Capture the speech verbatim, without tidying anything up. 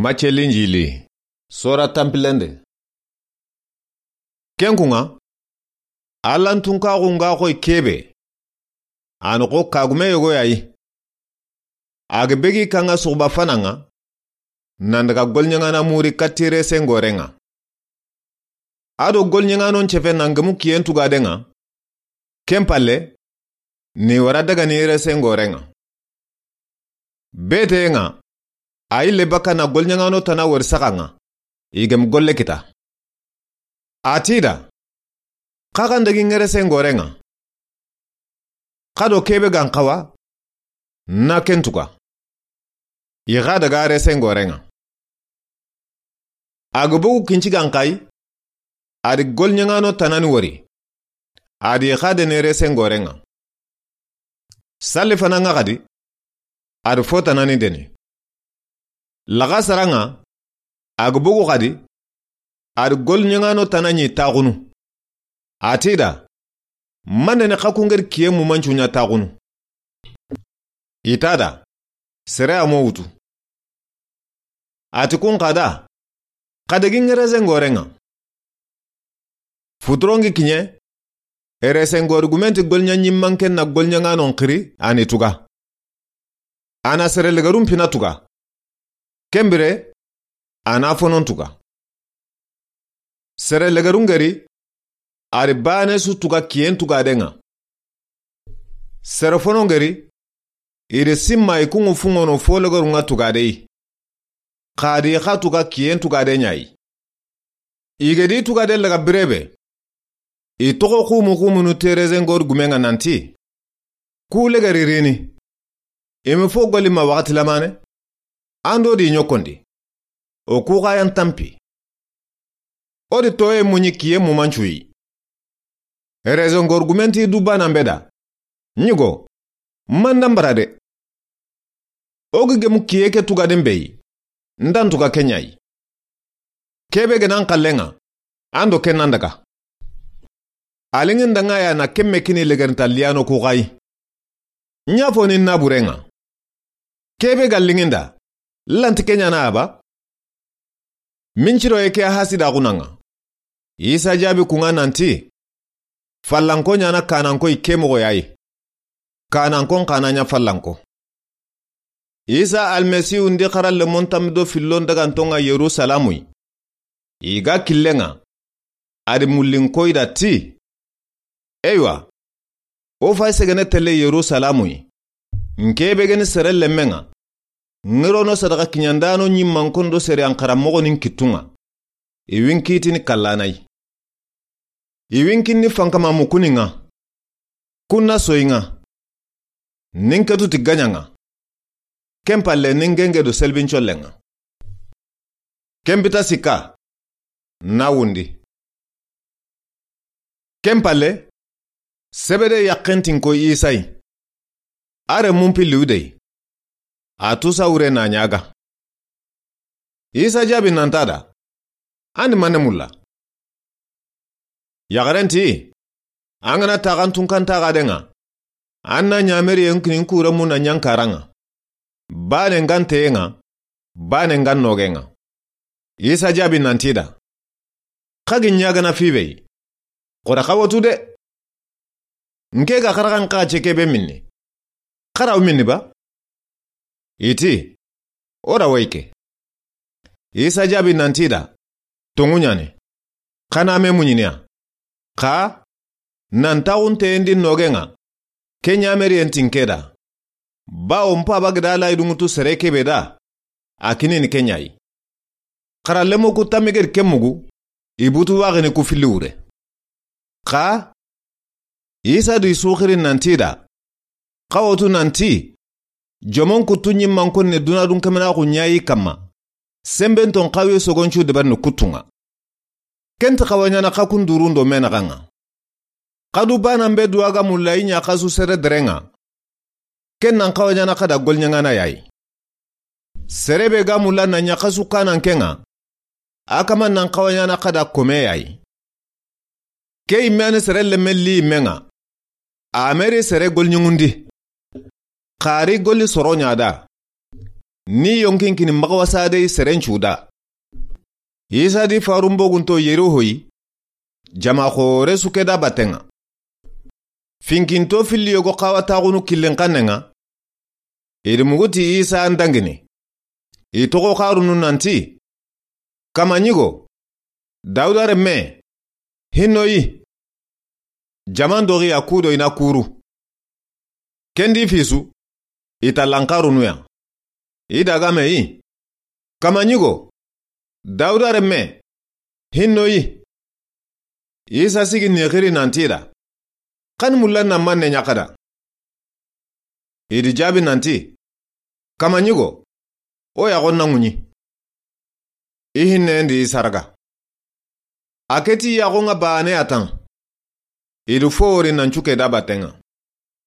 Macce Linjili. Sora tanpillende. Ken kuŋa, Alla n tunkaxu ŋa xoyi kebe. A na xo kagume yogo ya yi. A ga begi kaŋa suxuba fana ŋa, nan daga goliɲaŋana muri katti resen goren ŋa. A do goliɲaŋanon cefe nan gemu kiyen tugaden ŋa. Ken palle, ni wara daga ni resen goren ŋa. Bete ŋa, a yille baka na goliɲaŋano tana wori saxa ŋa, i gemu golle kita. A ti da, xa xa n dagi ŋeresen goren ŋa. Xa do kebe ga n xawa, na ken tuga. I xa daga resen goren ŋa. A ga bogu kinci ga n xayi, a di goliɲaŋano tanani wori. A di xa dene resen goren ŋa. Salli fana ŋa xadi, a di fo tanani dene. Laxasara ŋa, a ga bogu xadi, a di goliɲaŋano tana ɲi taxunu. A ti da, mande ne xa ku ŋeri kiye mumancu ɲa taxunu. I ta da, sere a mo wutu. A ti kun xa da, xa dagi ŋeresen goren ŋa. Futurongi kiɲe, resen gori gumen ti goliɲa ɲimmanken na goliɲaŋanon xiri a ni tuga. A na sere legerun pina tuga. Kenbire, a na fonon tuga. Sere legerun ŋeri, a di bane su tuga kiyen tugaden ŋa. Sere fonon ŋeri, i di simma i kuŋu fuŋono fo legerun ŋa tugade yi. Xa di xa tuga kiyen tugaden ɲa yi. I ga di tugaden laga birebe, i toxo xumu xumunu te resen gori gumen ŋa nanti, ku legeri rini. I ma fo goli ma waxati lamane. An do di ɲokondi. O ku xa yan tanpi. O di toye muɲi kiye mumancu yi. Resen gori gumen ti du banan be da, ɲigo, manda n bara de. O ga gemu kiye ke tugaden be yi, n da n tuga ken ɲa yi. Kebe ga na n xallen ŋa, an do ken nan daga. A liŋinda ŋa ya na ken me kini legerinta liyano ku xa yi. Ɲa fo ni naburen ŋa. Kebe ga liŋinda, lanti ken ɲa na a ba. Minciro ye ke hasidaxunan ŋa. Isa jaabi kun ŋa nanti, fallanko ɲa na kananko i ke moxo ya yi. Kanankon xa na ɲa fallanko. Isa Almasihu ndi xara lemon tammi do fillon daganton ŋa Yerusalamu yi. I ga killen ŋa, a di mullin koyi da ti, eywa, o fay segene telle Yerusalamu yi. N kebe geni sere lemmen ŋa, ŋirono sadaxa kiɲandano ɲimmankon do sere an xara moxonin kittun ŋa. I winkitini kallana yi. I winkini fankama mukunin ŋa. Kun na soyi ŋa. Nin ketu ti gaɲa ŋa. Ken palle nin genge do selbincollen ŋa. Ken bita sikka, na wundi. Ken palle, sebede yaxentin ko Isa yi. A renmun pilli wude yi. A tusa wure na ɲaga. Isa jaabi nanta da, an di mane mulla? Yaxaren ti, an ga na taxan tunkan taxaden ŋa, an na ɲameriyen kinin kure mun na ɲankaran ŋa. Bane n ga n teyen ŋa, bane n ga n nogen ŋa. Isa jaabi nanti da, xa gi ɲagana fibe yi. Xora xa watu de. N ke ga xaraxan xa ce kebe minni. Xaraw minni ba? I ti, o da woyi ke. Isa jaabi nanti da, tonŋu ɲa ni. Xa na me muɲiniya. Xa, nan taxunteyen di nogen ŋa. Ke ɲameriyen tin ke da. Bawo n paba ga da layi dunŋutu sere kebe da. A kinini ke ɲa yi. Xara lemo ku tammi gedi ke mugu, i butu waxini ku filli wure. Xa, Isa di suxiri nanti da, xa wotu nanti, jomon kuttu ɲimmankon ni dunadun kemenaxu ɲa yi kamma, sembenton xawi sogoncu deberni kuttun ŋa. Ken ti xawa ɲana xa kun durun do menaxan ŋa. Xa du banan be duwa ga mulla i ɲa xasu sere deren ŋa. Ken nan xawa ɲana xa da goliɲaŋana ya yi. Sere be ga mulla na ɲa xasu kananken ŋa. A kama nan xawa ɲana xa da kome ya yi. Ke yimme ni sere lemme li yimme ŋa. A meri sere goliɲuŋundi. Xari goli soro ɲa da. ni yonkin kini maxawasadey serencu da. Isa di farun bogunto yeri hoyi, jama xoore su ke da batten ŋa. Finkinto filli yogo xawataxunu killen xannen ŋa, i di mugu ti Isa n dangini. I toxo xarunu nanti, "Kama ɲigo, Dawuda renme, hinno yi." Jaman doxi ya kudo i na kuru. Kendi fisu, i ta lanxarunu ya. I dagame yi, "Kama ɲigo, Dawuda renme, hinno yi." Isa sigi ni xiri nanti da, "Xan mulla na manne ɲaxada?" I di jaabi nanti, "Kama ɲigo, o yaxon na ŋuɲi." I hinnendi i saraga. A keti yaxon ŋa bane a tan. I di fo wori nan cuke da batten ŋa.